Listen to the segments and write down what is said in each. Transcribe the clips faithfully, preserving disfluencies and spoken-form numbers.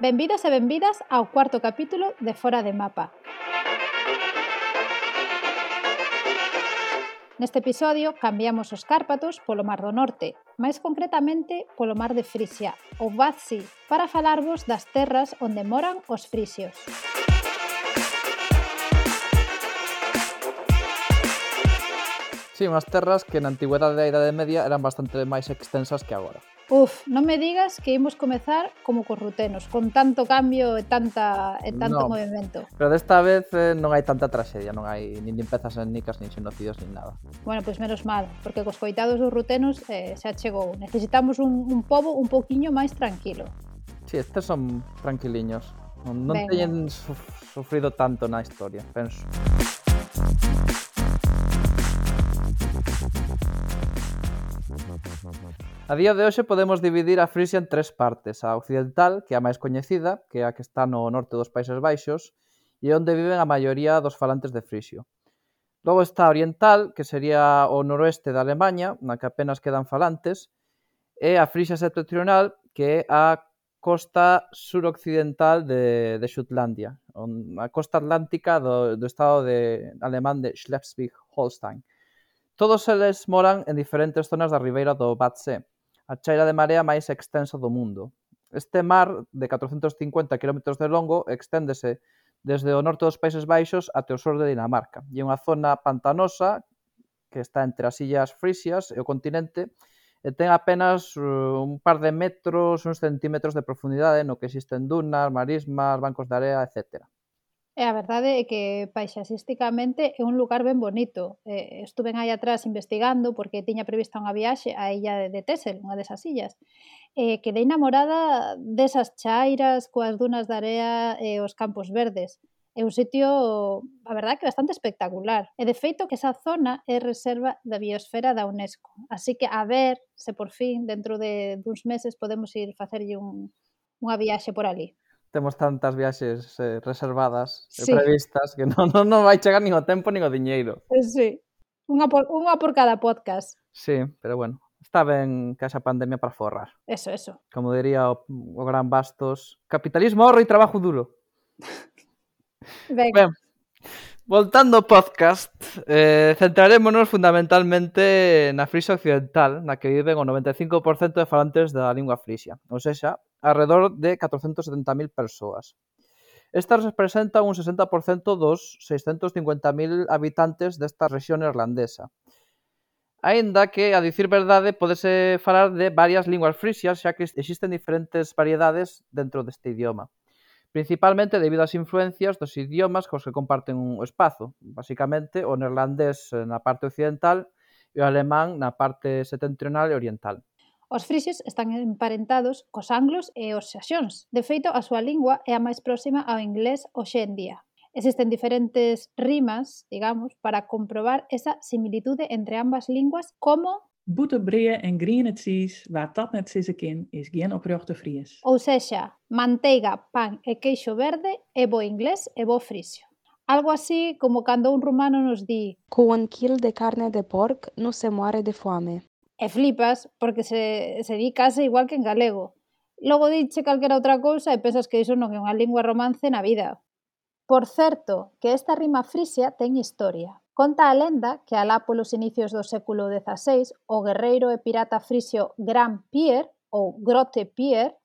Benvidos e benvidas ao cuarto capítulo de Fora de Mapa. Neste episodio cambiamos os Cárpatos polo Mar do Norte, máis concretamente polo Mar de Frisia, ou Bad Sea, para falarvos das terras onde moran os frisios. Sí, unhas terras que na antigüedade da Idade Media eran bastante máis extensas que agora. Uf, non me digas que imos comezar como cos rutenos, con tanto cambio e, tanta, e tanto no, movimento. Pero desta vez eh, non hai tanta traxedia, non hai nin limpezas étnicas, nin xenocidios, nin nada. Bueno, pois pues menos mal, porque cos coitados dos rutenos eh, xa chegou. Necesitamos un, un pobo un pouquiño máis tranquilo. Sí, estes son tranquiliños. Non, non Venga. teñen suf- sufrido tanto na historia, penso. A día de hoxe podemos dividir a Frisia en tres partes. A occidental, que é a máis coñecida, que é a que está no norte dos Países Baixos, e onde viven a maioría dos falantes de frisio. Logo está a oriental, que sería o noroeste da Alemanha, na que apenas quedan falantes, e a Frisia septentrional, que é a costa suroccidental de, de Xutlandia, a costa atlántica do, do estado de, alemán de Schleswig-Holstein. Todos eles moran en diferentes zonas da ribeira do Bad Sea, a chaira de marea máis extensa do mundo. Este mar, de catrocentos cincuenta quilómetros de longo, exténdese desde o norte dos Países Baixos até o sur de Dinamarca. E é unha zona pantanosa que está entre as illas frisias e o continente e ten apenas uh, un par de metros, uns centímetros de profundidade no que existen dunas, marismas, bancos de area, etcétera. E a verdade é que paisaxísticamente é un lugar ben bonito. Eh, estuven aí atrás investigando porque tiña prevista unha viaxe á illa de Texel, unha desas illas. Eh, quedei namorada desas chairas coas dunas de area e os campos verdes. É un sitio, a verdade, que bastante espectacular. E de feito que esa zona é reserva da biosfera da UNESCO. Así que a ver se por fin, dentro de duns meses, podemos ir facerlle un, unha viaxe por ali. Temos tantas viaxes eh, reservadas e Sí. previstas que non, non, non vai chegar nin o tempo nin o diñeiro. Sí, unha por, unha por cada podcast. Sí, pero bueno, está ben que haxa pandemia para forrar. Eso, eso. Como diría o, o gran Bastos, capitalismo, ahorro e trabajo duro. Venga. Ben, voltando ao podcast, eh, centrarémonos fundamentalmente na Frisia occidental, na que viven o noventa e cinco por cento de falantes da lingua frisia, ou seja, alrededor de catrocentos setenta mil persoas. Estas representan un sesenta por cento dos seiscentos cincuenta mil habitantes desta rexión irlandesa. Aínda que, a dicir verdade, pódese falar de varias linguas frisias, xa que existen diferentes variedades dentro deste idioma. Principalmente debido ás influencias dos idiomas cos que comparten un espazo, basicamente o neerlandés na parte occidental e o alemán na parte setentrional e oriental. Os frisios están emparentados cos anglos e os saxóns. De feito, a súa lingua é a máis próxima ao inglés hoxe en día. Existen diferentes rimas, digamos, para comprobar esa similitude entre ambas linguas, como Boete breë en griene cheese, waar dat net sissen kin, is geen oprechte Fries. ou sexa, manteiga, pan e queixo verde é bo inglés e bo frisio. Algo así como cando un rumano nos di Con un quilo de carne de porc no se muere de fame. e flipas porque se, se di case igual que en galego. Logo diche calquera outra cousa e pensas que iso non é unha lingua romance na vida. Por certo, que esta rima frisia ten historia. Conta a lenda que alá polos inicios do século dezaseis o guerreiro e pirata frisio Gran Pier, ou Grote Pier,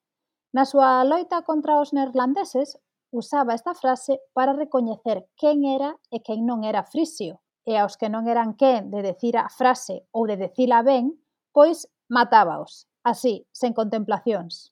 na súa loita contra os neerlandeses, usaba esta frase para recoñecer quen era e quen non era frisio. E aos que non eran quen de decir a frase ou de decila ben, pois matábaos, así, sen contemplacións.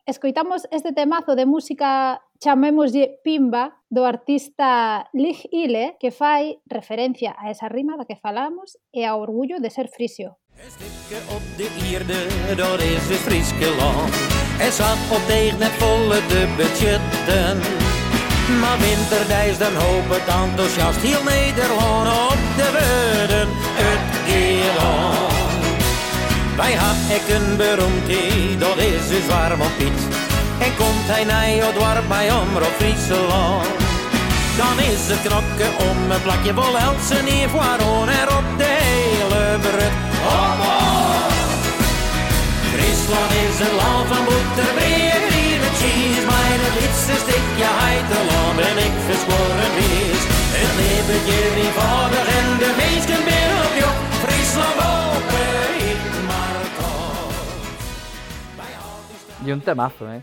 Escoitamos este temazo de música, chamémoslle Pimba, do artista Lig Ile, que fai referencia a esa rima da que falamos e ao orgullo de ser frisio. Een stipje op de Ierde, dat is het Frieske land. Er zat op tegen net volle de budgetten. Maar winterdijs dan hoop het enthousiast heel Nederland op de woorden het Geerland. Wij hebben ik een beroemdheid, dat is dus warm op Piet. En komt hij naar het dorp bij Omroep Friesland. Dan is het knokken om een plakje vol Elsen hier voor erop de hele brug. Oh, oh. Friesland is een land van boter, breed, green en cheese. Frisse stikje heiterland ben ik verschoren wees. Het leventje eenvoudig en de meesten ben op jou. Friesland open, ik maar toch. Y un temazo, ¿eh?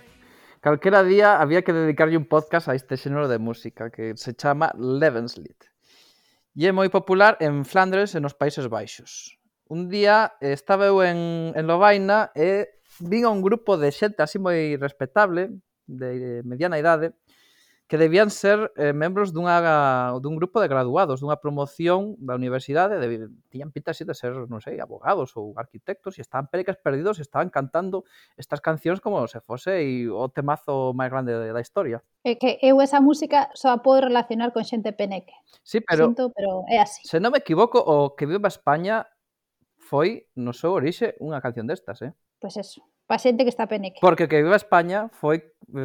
Calquera día había que dedicarlle un podcast a este xénero de música que se chama Levenslied. E é moi popular en Flandres e nos Países Baixos. Un día estaba eu en, en Lovaina e vin a un grupo de xente así moi respetable, de mediana idade, que debían ser eh, membros dunha, dun grupo de graduados, dunha promoción da universidade, de, tiñan pinta así de ser, non sei, abogados ou arquitectos, e estaban pericas perdidos e estaban cantando estas cancións como se fose e o temazo máis grande da historia. É que eu esa música só a podo relacionar con xente peneque. Sí, pero, Sinto, pero é así. se non me equivoco, o que viva España foi, no seu orixe, unha canción destas, eh? Pois eso, pa xente que está peneque. Porque que viva España foi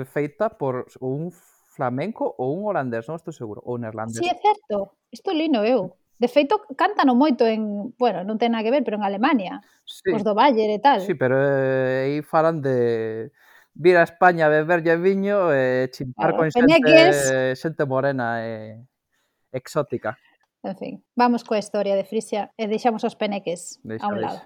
feita por un flamenco ou un holandés, non estou seguro, ou neerlandés. Sí, é certo. Isto lino eu. De feito, cántano moito en... Bueno, non ten nada que ver, pero en Alemania. Sí. Os do Bayer e tal. Sí, pero eh, aí falan de vir a España a beberlle viño e chimpar Claro, con xente, peneques. xente morena e exótica. En fin, vamos coa historia de Frisia e deixamos os peneques Deixa, a un deixa. lado.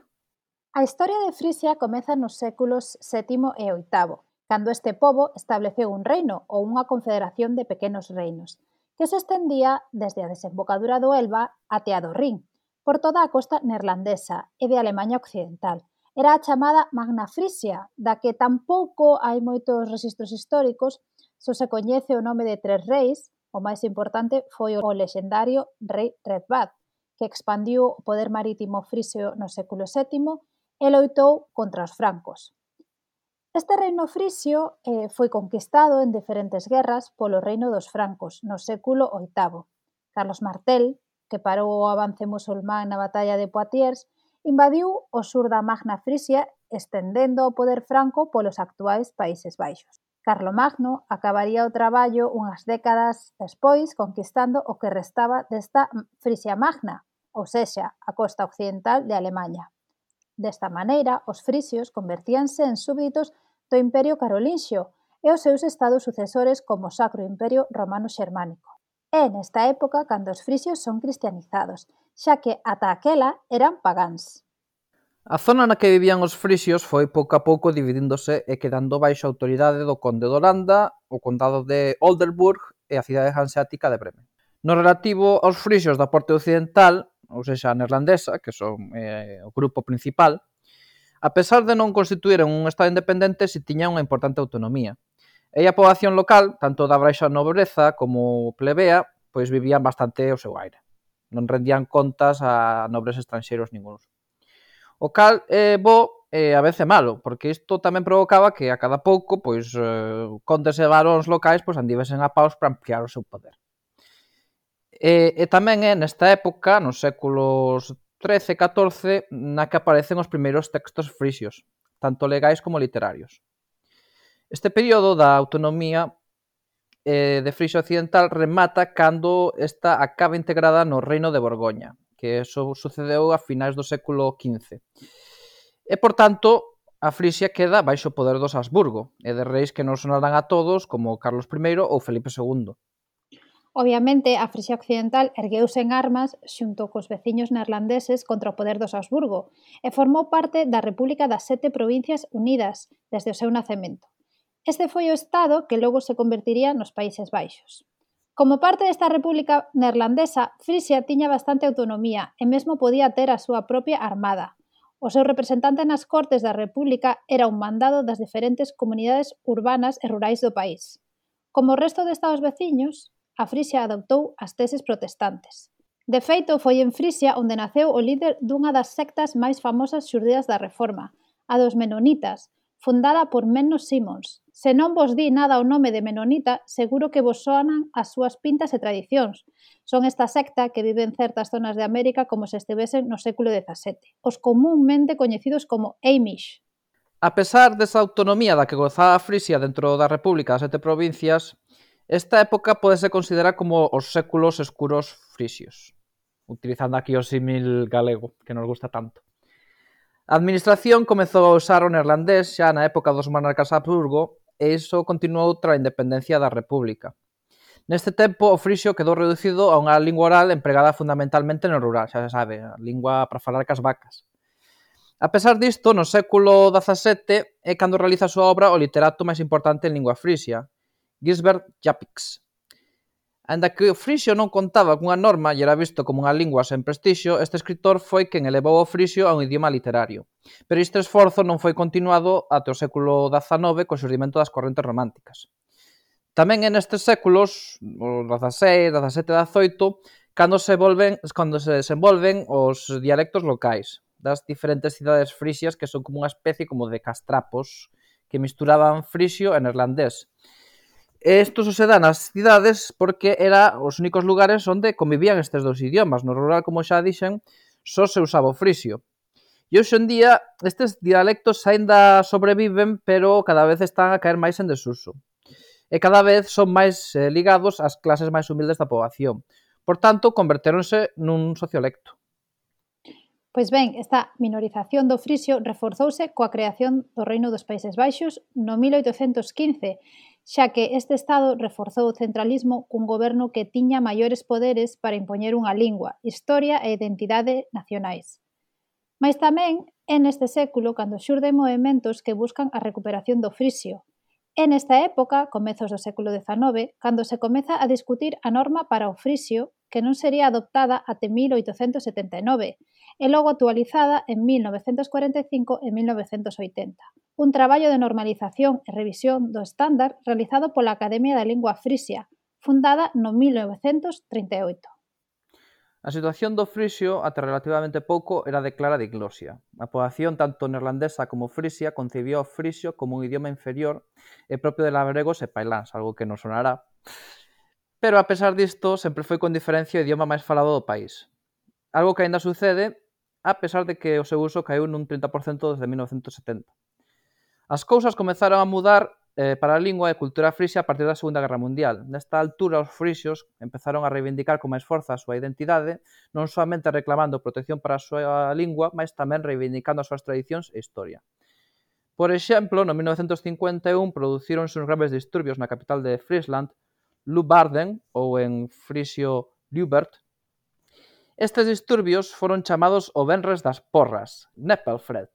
A historia de Frisia comeza nos séculos sétimo e oitavo, cando este pobo estableceu un reino ou unha confederación de pequenos reinos, que se estendía desde a desembocadura do Elba até a do Rin, por toda a costa neerlandesa e de Alemaña Occidental. Era a chamada Magna Frisia, da que tampouco hai moitos registros históricos, só se coñece o nome de tres reis. O máis importante foi o lexendario rei Redbad, que expandiu o poder marítimo frisio no século sétimo e loitou contra os francos. Este reino frisio eh, foi conquistado en diferentes guerras polo reino dos francos no século oitavo. Carlos Martel, que parou o avance musulmán na batalla de Poitiers, invadiu o sur da Magna Frisia estendendo o poder franco polos actuais Países Baixos. Carlomagno acabaría o traballo unhas décadas despois conquistando o que restaba desta Frisia Magna, ou sexa, a costa occidental de Alemaña. Desta maneira, os frisios convertíanse en súbditos do Imperio Carolinxio e os seus estados sucesores como o Sacro Imperio Romano Xermánico. É nesta época cando os frisios son cristianizados, xa que ata aquela eran pagáns. A zona na que vivían os frisios foi pouco a pouco dividíndose e quedando baixo a autoridade do conde de Holanda, o condado de Oldenburg e a cidade hanseática de Bremen. No relativo aos frisios da porte occidental, ou seja, a neerlandesa, que son eh, o grupo principal, a pesar de non constituíren un estado independente, si tiña unha importante autonomía. E a poboación local, tanto da baixa nobreza como plebea, pois vivían bastante o seu aire. Non rendían contas a nobres estranxeiros ninguns. O cal é bo e a veces malo, porque isto tamén provocaba que a cada pouco, pois, eh, condes e baróns locais pois andivesen a paus para ampliar o seu poder. E, e tamén é nesta época, nos séculos trece e catorce, na que aparecen os primeiros textos frisios, tanto legais como literarios. Este período da autonomía eh, de Frisia Occidental remata cando esta acaba integrada no Reino de Borgoña, que eso sucedeu a finais do século quince. E, por tanto, a Frisia queda baixo o poder dos Habsburgo, e de reis que non sonarán a todos, como Carlos I ou Felipe segundo. Obviamente, a Frisia Occidental ergueuse en armas xunto cos veciños neerlandeses contra o poder dos Habsburgo e formou parte da República das Sete Provincias Unidas desde o seu nacemento. Este foi o estado que logo se convertiría nos Países Baixos. Como parte desta República neerlandesa, Frisia tiña bastante autonomía e mesmo podía ter a súa propia armada. O seu representante nas Cortes da República era un mandado das diferentes comunidades urbanas e rurais do país. Como o resto de estados veciños, a Frisia adoptou as teses protestantes. De feito, foi en Frisia onde naceu o líder dunha das sectas máis famosas xurdidas da Reforma, a dos Menonitas, fundada por Menno Simons. Se non vos di nada o nome de Menonita, seguro que vos soanan as súas pintas e tradicións. Son esta secta que vive en certas zonas de América como se estivesen no século dezasete, os comúnmente coñecidos como Amish. A pesar desa autonomía da que gozaba a Frisia dentro da República das Sete Provincias, esta época pódese considerar como os séculos escuros frisios, utilizando aquí o símil galego, que nos gusta tanto. A administración comezou a usar o neerlandés xa na época dos monarcas Habsburgo e iso continuou tras a independencia da República. Neste tempo, o frixio quedou reducido a unha lingua oral empregada fundamentalmente no rural, xa se sabe, a lingua para falar cas vacas. A pesar disto, no século dezasete é cando realiza a súa obra o literato máis importante en lingua frisia, Gisbert Japix. Aínda que o frixio non contaba cunha norma e era visto como unha lingua sen prestixio, este escritor foi quen elevou o frixio a un idioma literario. Pero este esforzo non foi continuado até o século dezanove co xurdimento das correntes románticas. Tamén en estes séculos, o dezaseis, dezasete e dezaoito, cando se volven, cando se desenvolven os dialectos locais das diferentes cidades frisias que son como unha especie como de castrapos que misturaban frixio e neerlandés. Isto se dá nas cidades porque era os únicos lugares onde convivían estes dous idiomas. No rural, como xa dixen, só se usaba o frixio. E hoxe en día estes dialectos aínda sobreviven, pero cada vez están a caer máis en desuso. E cada vez son máis eh, ligados ás clases máis humildes da poboación. Por tanto, convertéronse nun sociolecto. Pois ben, esta minorización do frixio reforzouse coa creación do Reino dos Países Baixos no mil oitocentos quince, xa que este Estado reforzou o centralismo cun goberno que tiña maiores poderes para impoñer unha lingua, historia e identidade nacionais. Mais tamén é neste século cando xurden movementos que buscan a recuperación do frixio. É nesta época, comezos do século dezanove, cando se comeza a discutir a norma para o frixio que non sería adoptada até mil oitocentos setenta e nove e logo actualizada en mil novecentos cuarenta e cinco e mil novecentos oitenta. Un traballo de normalización e revisión do estándar realizado pola Academia da Lingua Frisia, fundada no mil novecentos trinta e oito. A situación do frixio, ata relativamente pouco, era de clara diglosia. A poboación tanto neerlandesa como frisia concibía o frixio como un idioma inferior e propio de labregos e pailáns, algo que non sonará. Pero, a pesar disto, sempre foi con diferencia o idioma máis falado do país. Algo que aínda sucede, a pesar de que o seu uso caeu nun trinta por cento desde mil novecentos setenta. As cousas comezaron a mudar eh, para a lingua e cultura frisia a partir da Segunda Guerra Mundial. Nesta altura, os frixios empezaron a reivindicar con máis forza a súa identidade, non soamente reclamando protección para a súa lingua, mas tamén reivindicando as súas tradicións e historia. Por exemplo, no mil novecentos cincuenta e un producíronse uns graves disturbios na capital de Friesland, Leeuwarden, ou en frisio Leubert. Estes disturbios foron chamados o Venres das Porras, Nepelfred.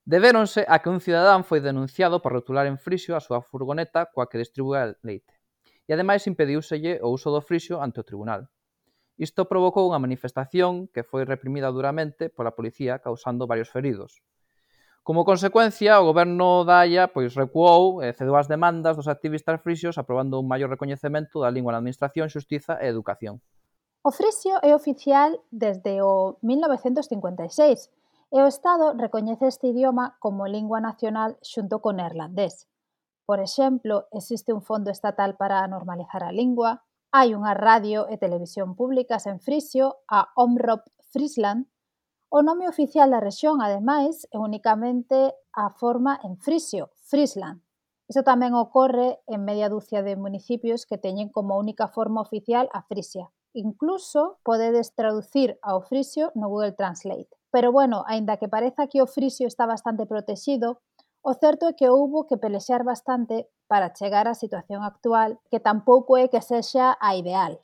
Debéronse a que un cidadán foi denunciado por rotular en frixio a súa furgoneta coa que distribúa leite. E ademais impediúselle o uso do frixio ante o tribunal. Isto provocou unha manifestación que foi reprimida duramente pola policía, causando varios feridos. Como consecuencia, o goberno da Haia pois, recuou e cedeu as demandas dos activistas frixios aprobando un maior recoñecemento da lingua na administración, xustiza e educación. O frixio é oficial desde o mil novecentos cincuenta e seis e o Estado recoñece este idioma como lingua nacional xunto co neerlandés. Por exemplo, existe un fondo estatal para normalizar a lingua, hai unha radio e televisión públicas en frixio, a Omroep Friesland. O nome oficial da rexión, ademais, é únicamente a forma en frixio, Friesland. Isto tamén ocorre en media dúcia de municipios que teñen como única forma oficial a frisia. Incluso podedes traducir ao frixio no Google Translate. Pero, bueno, aínda que pareza que o frixio está bastante protexido, o certo é que houbo que pelexar bastante para chegar á situación actual, que tampouco é que sexa a ideal.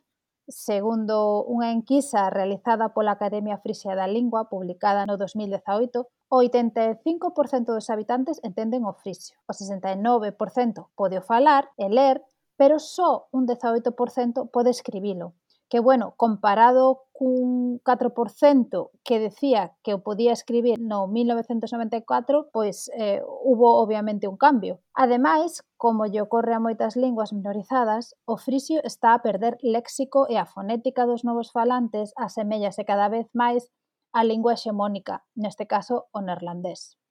Segundo unha enquisa realizada pola Academia Frisia da Lingua, publicada no dos mil dezaoito, o oitenta e cinco por cento dos habitantes entenden o frixio, o sesenta e nove por cento pode o falar e ler, pero só un dezaoito por cento pode escribilo. Que, bueno, comparado cun catro por cento que decía que o podía escribir no mil novecentos noventa e catro, pois eh, hubo obviamente un cambio. Ademais, como lle ocorre a moitas linguas minorizadas, o frixio está a perder léxico e a fonética dos novos falantes asemellase cada vez máis á lingua hexemónica, neste caso o neerlandés.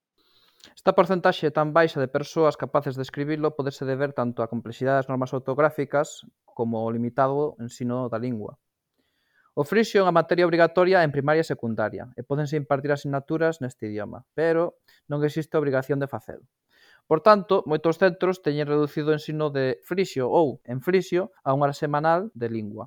Esta porcentaxe tan baixa de persoas capaces de escribilo podese deber tanto á complexidade das normas ortográficas como ao limitado ensino da lingua. O frixio é unha materia obrigatoria en primaria e secundaria e pódense impartir asignaturas neste idioma, pero non existe obrigación de facelo. Por tanto, moitos centros teñen reducido o ensino de frixio ou en frixio a unha hora semanal de lingua.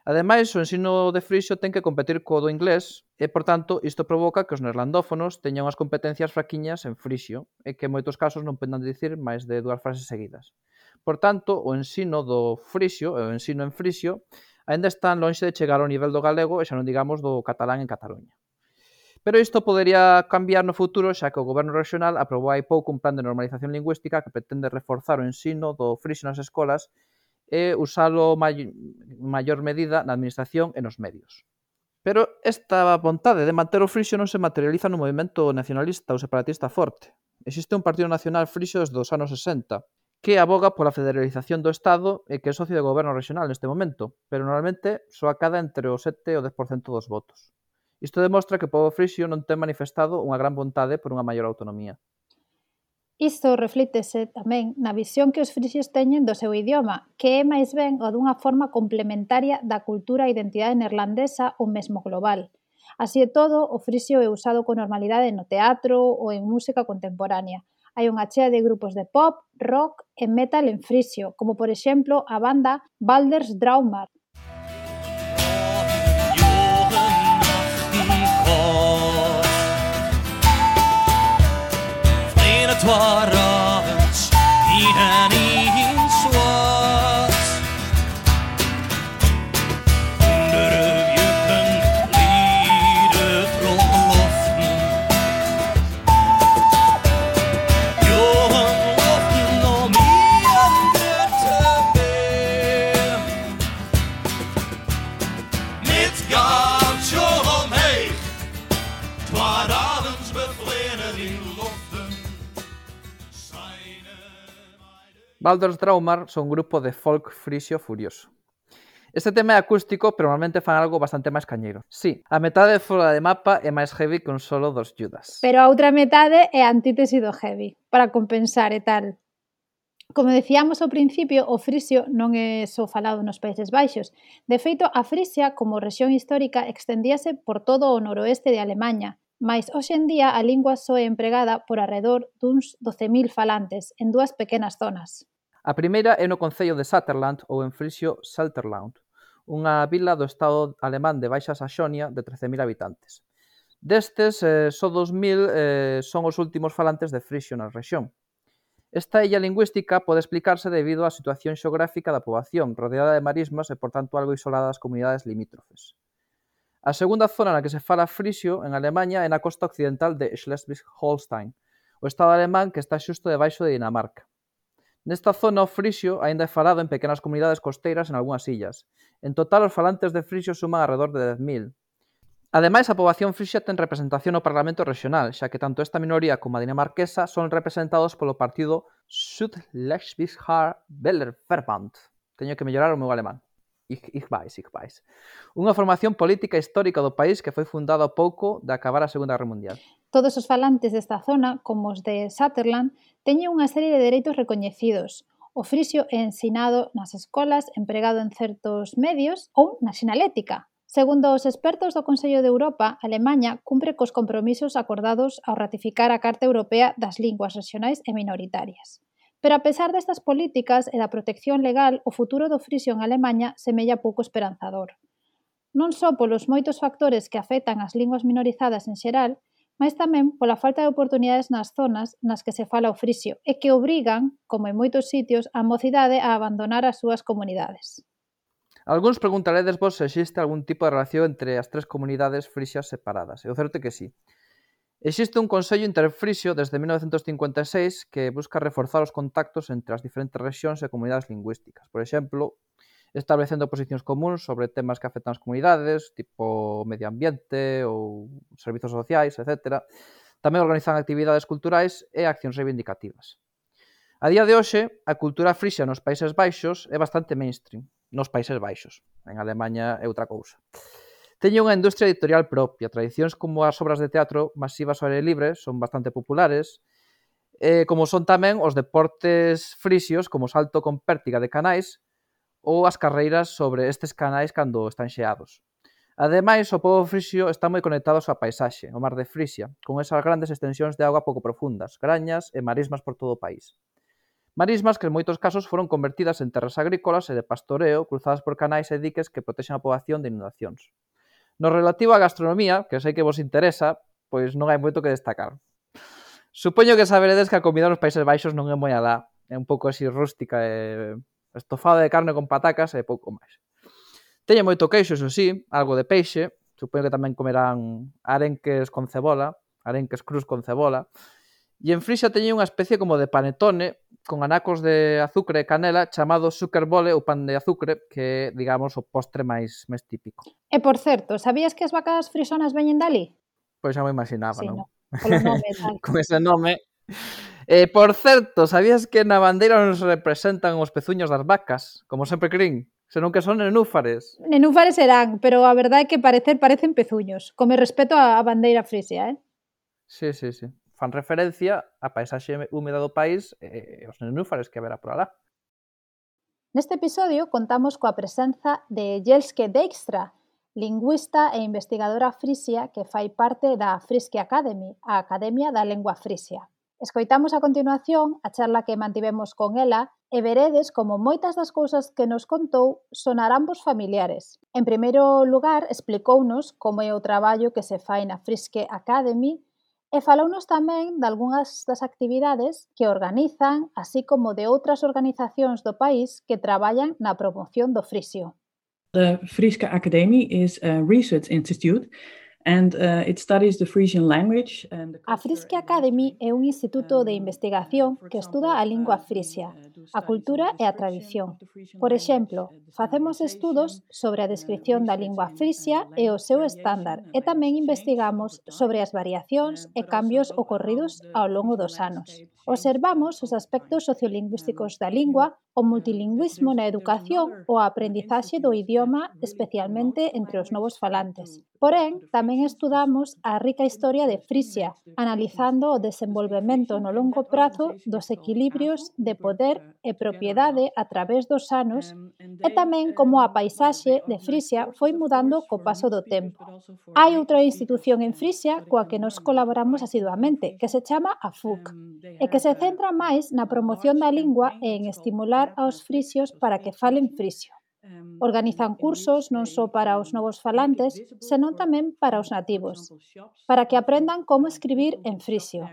Ademais, o ensino de frixio ten que competir co do inglés e, por tanto, isto provoca que os neerlandófonos teñan unhas competencias fraquiñas en frixio e que en moitos casos non poden dicir máis de dúas frases seguidas. Por tanto, o ensino do frixio e o ensino en frixio aínda están lonxe de chegar ao nivel do galego e xa non digamos do catalán en Cataluña. Pero isto podería cambiar no futuro, xa que o Goberno Regional aprobou hai pouco un plan de normalización lingüística que pretende reforzar o ensino do frixio nas escolas e usalo en maior medida na administración e nos medios. Pero esta vontade de manter o frixio non se materializa nun movimento nacionalista ou separatista forte. Existe un partido nacional frixio desde os anos sesenta, que aboga pola federalización do Estado e que é socio do goberno regional neste momento, pero normalmente só acada entre o sete e o dez por cento dos votos. Isto demostra que o pobo frixio non ten manifestado unha gran vontade por unha maior autonomía. Isto reflítese tamén na visión que os frixios teñen do seu idioma, que é máis ben o dunha forma complementaria da cultura e identidade neerlandesa ou mesmo global. Así e todo, o frixio é usado con normalidade no teatro ou en música contemporánea. Hai unha chea de grupos de pop, rock e metal en frixio, como por exemplo a banda Balders Draumar. Het was avonds hier in Zwas. Onder juppen lieden rondloften. Jongen loften om hier te been. Met gaatje omheen. Twaar avonds bevlenen in loften. Balders Draumar son un grupo de folk frixio furioso. Este tema é acústico, pero normalmente fan algo bastante máis cañeiro. Sí, a metade fora de mapa é máis heavy que un solo dos Judas. Pero a outra metade é a antítese do heavy, para compensar e tal. Como decíamos ao principio, o frixio non é só falado nos Países Baixos. De feito, a Frisia, como rexión histórica, extendíase por todo o noroeste de Alemaña, mais hoxe en día a lingua só é empregada por arredor duns doce mil falantes en dúas pequenas zonas. A primeira é no concello de Saterland ou en frixio Salterland, unha vila do estado alemán de Baixa Saxonia de trece mil habitantes. Destes, eh, só dos mil eh, son os últimos falantes de frixio na rexión. Esta illa lingüística pode explicarse debido á situación xeográfica da poboación, rodeada de marismas e, por tanto, algo isolada das comunidades limítrofes. A segunda zona na que se fala frixio en Alemanha é na costa occidental de Schleswig-Holstein, o estado alemán que está xusto debaixo de Dinamarca. Nesta zona o frixio aínda é falado en pequenas comunidades costeiras en algunhas illas. En total, os falantes de frixio suman alrededor de dez mil. Ademais, a poboación frixia ten representación no Parlamento Regional, xa que tanto esta minoría como a dinamarquesa son representados polo partido Südlesbiger-Wählerverband. Teño que mellorar o meu alemán. Ich, ich weiß, ich weiß. Unha formación política histórica do país que foi fundada ao pouco de acabar a Segunda Guerra Mundial. Todos os falantes desta zona, como os de Saterland, teñen unha serie de dereitos recoñecidos. O frixio é ensinado nas escolas, empregado en certos medios ou na sinalética. Segundo os expertos do Consello de Europa, Alemanha cumpre cos compromisos acordados ao ratificar a Carta Europea das Linguas Regionais e Minoritarias. Pero a pesar destas políticas e da protección legal, o futuro do frixio en Alemanha semella pouco esperanzador. Non só polos moitos factores que afectan as linguas minorizadas en xeral, mas tamén pola falta de oportunidades nas zonas nas que se fala o frixio e que obrigan, como en moitos sitios, a mocidade a abandonar as súas comunidades. Algúns preguntaredes vos se existe algún tipo de relación entre as tres comunidades frixias separadas. E o certo é que sí. Existe un Consello Interfrixio desde mil novecentos cincuenta e seis que busca reforzar os contactos entre as diferentes rexións e comunidades lingüísticas. Por exemplo, establecendo posicións comuns sobre temas que afectan as comunidades, tipo medio ambiente ou servizos sociais, etcétera. Tamén organizan actividades culturais e accións reivindicativas. A día de hoxe, a cultura frixia nos Países Baixos é bastante mainstream. Nos Países Baixos. En Alemanha é outra cousa. Teñen unha industria editorial propia. Tradicións como as obras de teatro masivas ao aire libre son bastante populares, eh, como son tamén os deportes frixios, como o salto con pértiga de canais, ou as carreiras sobre estes canais cando están xeados. Ademais, o pobo frixio está moi conectado á súa paisaxe, o mar de Frisia, con esas grandes extensións de auga pouco profundas, grañas e marismas por todo o país. Marismas que en moitos casos foron convertidas en terras agrícolas e de pastoreo cruzadas por canais e diques que protexen a poboación de inundacións. No relativo á gastronomía, que sei que vos interesa, pois non hai moito que destacar. Supoño que saberedes que a comida nos Países Baixos non é moi alá, é un pouco así rústica e estofado de carne con patacas e pouco máis. Teñe moito queixo, iso sí, algo de peixe, supoño que tamén comerán arenques con cebola, arenques crus con cebola, e en Frisia teñen unha especie como de panetone con anacos de azucre e canela chamado sukkerbole ou pan de azucre, que é, digamos, o postre máis, máis típico. E, por certo, sabías que as vacas frisonas veñen dali? Pois xa me imaginaba, Sí, non? no, polo nome e tal. Con ese nome. Eh, por certo, sabías que na bandeira nos representan os pezuños das vacas, como sempre crin, senón que son nenúfares? Nenúfares serán, pero a verdade é que parecer parecen pezuños, como respeto á bandeira frisia, eh? Sí, sí, sí. Fan referencia á paisaxe húmeda do país e os nenúfares que haberá por alá. Neste episodio contamos coa presenza de Jelske Dijkstra, lingüista e investigadora frisia que fai parte da Friske Academy, a Academia da Lengua Frisia. Escoitamos a continuación a charla que mantivemos con ela e veredes como moitas das cousas que nos contou sonarán vos familiares. En primeiro lugar, explicounos como é o traballo que se fai na Friske Academy e falounos tamén de algunhas das actividades que organizan, así como de outras organizacións do país que traballan na promoción do frisio. The Friese Academy is a research institute and uh, it studies the Frisian language and the A Friske Academy é un instituto de investigación que estuda a lingua frisia, a cultura e a tradición. Por exemplo, facemos estudos sobre a descripción da lingua frisia e o seu estándar e tamén investigamos sobre as variacións e cambios ocorridos ao longo dos anos. Observamos os aspectos sociolingüísticos da lingua, o multilingüismo na educación ou a aprendizaxe do idioma, especialmente entre os novos falantes. Porén, tamén estudamos a rica historia de Frisia, analizando o desenvolvemento no longo prazo dos equilibrios de poder e propiedade a través dos anos e tamén como a paisaxe de Frisia foi mudando co paso do tempo. Hai outra institución en Frisia coa que nos colaboramos asiduamente, que se chama a F U C, e que se centra máis na promoción da lingua e en estimular aos frisios para que falen frisio. Organizan cursos non só para os novos falantes, senón tamén para os nativos, para que aprendan como escribir en frisio.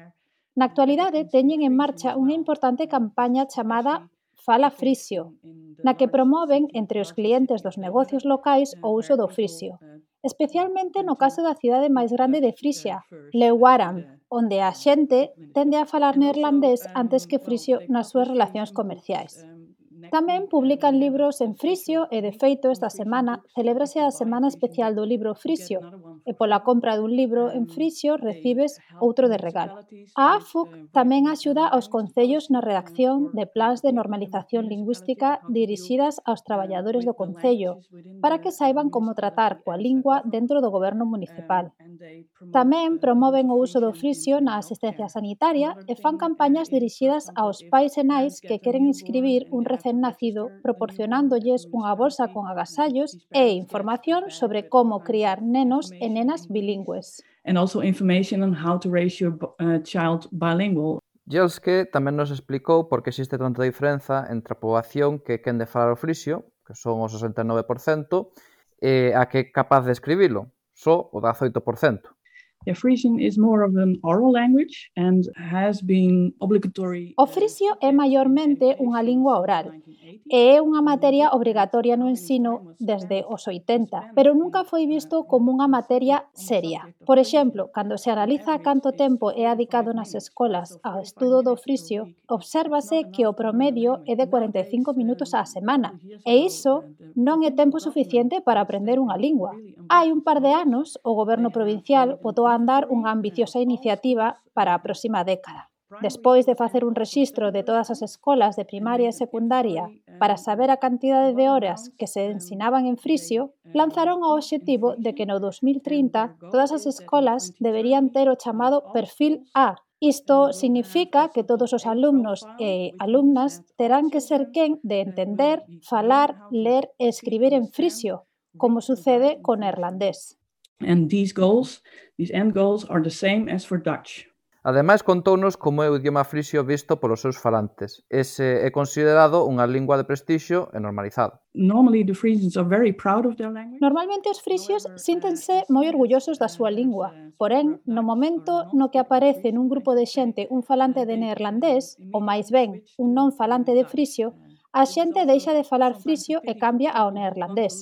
Na actualidade teñen en marcha unha importante campaña chamada Fala Frisio, na que promoven entre os clientes dos negocios locais o uso do frisio, especialmente no caso da cidade máis grande de Frisia, Leeuwarden, onde a xente tende a falar neerlandés antes que frisio nas súas relacións comerciais. Tamén publican libros en frisio e, de feito, esta semana celébrase a Semana Especial do Libro Frisio e pola compra dun libro en frisio recibes outro de regalo. A A F U C tamén axuda aos concellos na redacción de plans de normalización lingüística dirixidas aos traballadores do concello para que saiban como tratar coa lingua dentro do goberno municipal. Tamén promoven o uso do frisio na asistencia sanitaria e fan campañas dirixidas aos pais e nais que queren inscribir un recén nacido, proporcionándolles unha bolsa con agasallos e información sobre como criar nenos e nenas bilingües. and also information on how to raise your uh, child bilingual. Jelske tamén nos explicou por que existe tanta diferenza entre a poboación que quen de falar o frisio, que son o sesenta e nove por cento, e a que é capaz de escribilo, só o dezaoito por cento. Yeah, Frisian is more of an oral language and has been obligatory. O frisio é maiormente unha lingua oral e é unha materia obrigatoria no ensino desde os oitenta, pero nunca foi visto como unha materia seria. Por exemplo, cando se analiza canto tempo é adicado nas escolas ao estudo do frisio, obsérvase que o promedio é de cuarenta e cinco minutos á semana, e iso non é tempo suficiente para aprender unha lingua. Hai un par de anos, o goberno provincial botou a andar unha ambiciosa iniciativa para a próxima década. Despois de facer un rexistro de todas as escolas de primaria e secundaria para saber a cantidade de horas que se ensinaban en frisio, lanzaron o obxectivo de que no dos mil trinta todas as escolas deberían ter o chamado perfil A. Isto significa que todos os alumnos e alumnas terán que ser quen de entender, falar, ler e escribir en frisio, como sucede co neerlandés. And these goals, these end goals, are the same as for Dutch. Ademais, contounos como é o idioma frisio visto polos seus falantes. Ese é considerado unha lingua de prestixio e normalizado. Normally, the Frisians are very proud of their language. Normalmente os frisios síntense moi orgullosos da súa lingua, porén, no momento no que aparece nun grupo de xente un falante de neerlandés, ou máis ben, un non falante de frisio, a xente deixa de falar frisio e cambia ao neerlandés.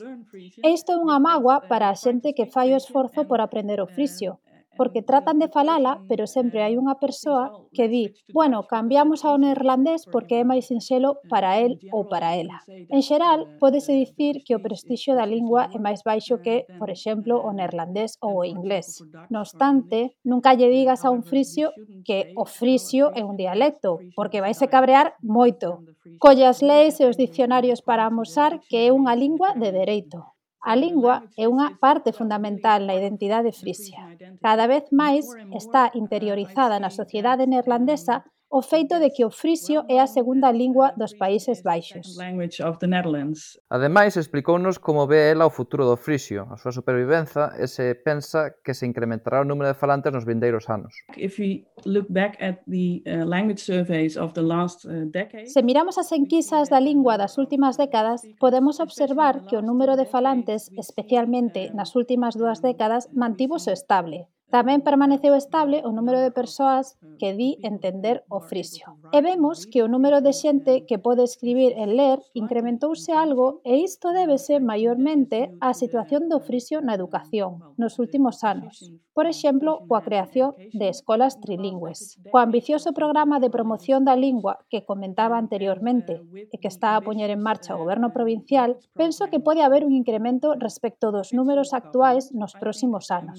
E isto é unha mágoa para a xente que fai o esforzo por aprender o frisio, porque tratan de falala, pero sempre hai unha persoa que di, bueno, cambiamos ao neerlandés porque é máis sinxelo para el ou para ela. En xeral, pódese dicir que o prestixio da lingua é máis baixo que, por exemplo, o neerlandés ou o inglés. No obstante, nunca lle digas a un frisio que o frisio é un dialecto, porque vaise cabrear moito. Colle as leis e os dicionarios para amosar que é unha lingua de dereito. A lingua é unha parte fundamental na identidade frisia. Cada vez máis está interiorizada na sociedade neerlandesa o feito de que o frisio é a segunda lingua dos Países Baixos. Ademais, explicounos como ve ela o futuro do frisio, a súa supervivenza e se pensa que se incrementará o número de falantes nos vindeiros anos. Se miramos as enquisas da lingua das últimas décadas, podemos observar que o número de falantes, especialmente nas últimas dúas décadas, mantívose estable. Tamén permaneceu estable o número de persoas que di entender o frisio. E vemos que o número de xente que pode escribir e ler incrementouse algo e isto débese maiormente á situación do frisio na educación nos últimos anos. Por exemplo, coa creación de escolas trilingües. Co ambicioso programa de promoción da lingua que comentaba anteriormente e que está a poñer en marcha o goberno provincial, penso que pode haber un incremento respecto dos números actuais nos próximos anos.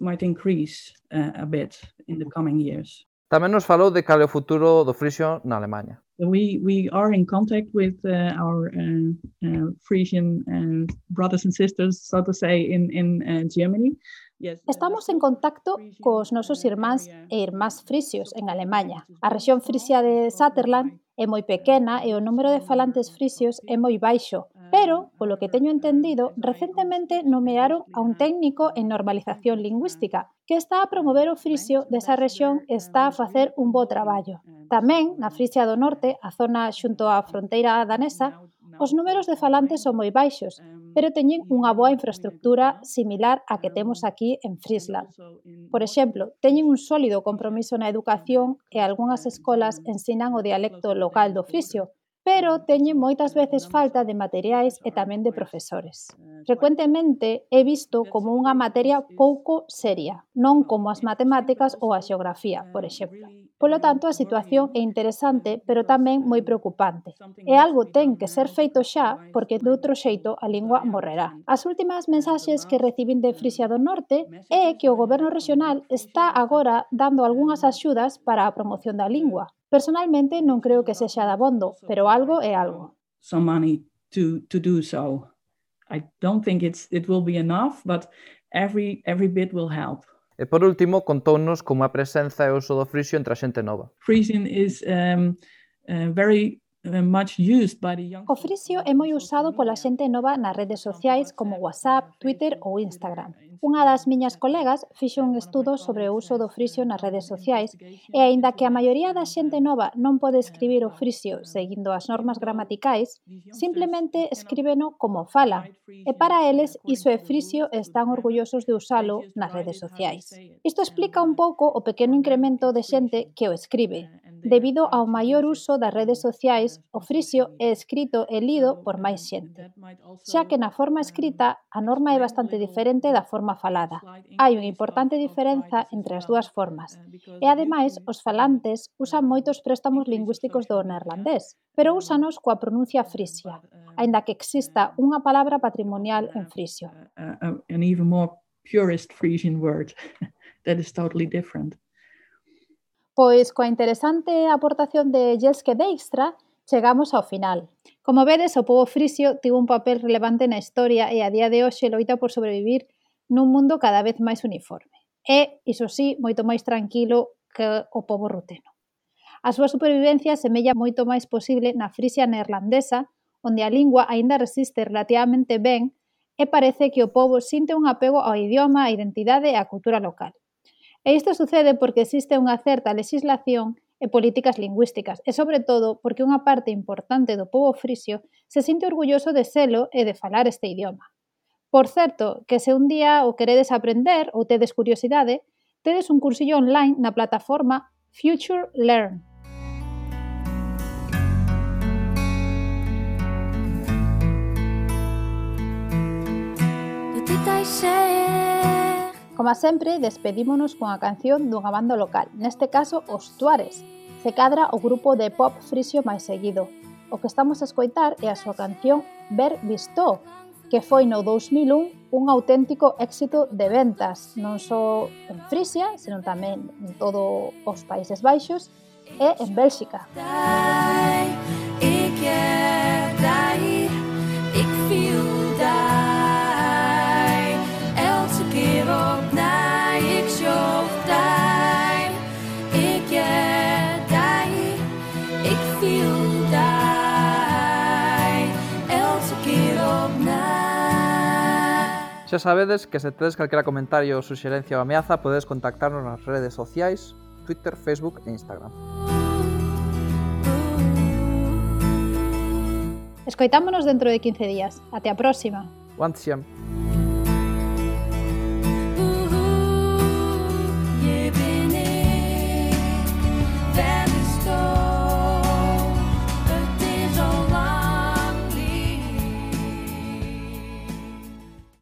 might increase uh, a bit in the coming years. Tamén nos falou de cal é o futuro do frisio na Alemanha. We we are in contact with uh, our uh, uh, Frisian uh, brothers and sisters, so to say, in in uh, Germany. Yes, Estamos en contacto cos nosos irmáns e irmás frisios en Alemanha. A rexión frisia de Saterland é moi pequena e o número de falantes frisios é moi baixo, pero, polo que teño entendido, recentemente nomearon a un técnico en normalización lingüística que está a promover o frisio desa rexión e está a facer un bo traballo. Tamén, na Frisia do Norte, a zona xunto á fronteira danesa, os números de falantes son moi baixos, pero teñen unha boa infraestructura similar á que temos aquí en Friesland. Por exemplo, teñen un sólido compromiso na educación e algunhas escolas ensinan o dialecto local do frisio, pero teñen moitas veces falta de materiais e tamén de profesores. Frecuentemente é visto como unha materia pouco seria, non como as matemáticas ou a xeografía, por exemplo. Polo tanto, a situación é interesante, pero tamén moi preocupante. E algo ten que ser feito xa, porque de outro xeito a lingua morrerá. As últimas mensaxes que recibín de Frisia do Norte é que o goberno regional está agora dando algunhas axudas para a promoción da lingua. Personalmente non creo que sexa dabondo, pero algo é algo. Some money to to do so. I don't think it's it will be enough, but every every bit will help. E por último, contounos como a presenza e o uso do frisio entre a xente nova. Frisian is um, uh, very uh, much used by the young. O frisio é moi usado pola xente nova nas redes sociais como WhatsApp, Twitter ou Instagram. Unha das miñas colegas fixo un estudo sobre o uso do frisio nas redes sociais e, aínda que a maioría da xente nova non pode escribir o frisio seguindo as normas gramaticais, simplemente escríbeno como fala. E para eles, iso é frisio e están orgullosos de usalo nas redes sociais. Isto explica un pouco o pequeno incremento de xente que o escribe. Debido ao maior uso das redes sociais, o frisio é escrito e lido por máis xente. Xa que na forma escrita, a norma é bastante diferente da forma falada. Hai unha importante diferenza entre as dúas formas. E, ademais, os falantes usan moitos préstamos lingüísticos do neerlandés, pero úsanos coa pronuncia frisia, aínda que exista unha palabra patrimonial en frisio. Uh, uh, an even more purist Frisian word that is totally different. Pois coa interesante aportación de Jelske Dijkstra, chegamos ao final. Como vedes, o pobo frisio tivo un papel relevante na historia e a día de hoxe loita por sobrevivir nun mundo cada vez máis uniforme. E, iso sí, moito máis tranquilo que o pobo ruteno. A súa supervivencia semella moito máis posible na Frisia neerlandesa, onde a lingua aínda resiste relativamente ben e parece que o pobo sinte un apego ao idioma, á identidade e á cultura local. E isto sucede porque existe unha certa legislación e políticas lingüísticas, e sobre todo porque unha parte importante do pobo frisio se sinte orgulloso de selo e de falar este idioma. Por certo, que se un día o queredes aprender ou tedes curiosidade, tedes un cursillo online na plataforma Future Learn. Como sempre, despedímonos cunha canción dunha banda local, neste caso os Tuares, se cadra o grupo de pop frisio máis seguido. O que estamos a escoitar é a súa canción Ver Visto, que foi no dous mil un un auténtico éxito de ventas, non só en Frisia, senón tamén en todos os Países Baixos e en Bélxica. Xa sabedes que se tedes calquera comentario, suxerencia ou ameaza podedes contactarnos nas redes sociais, Twitter, Facebook e Instagram. Escoitámonos dentro de quince días. Até a próxima. Wantsiam.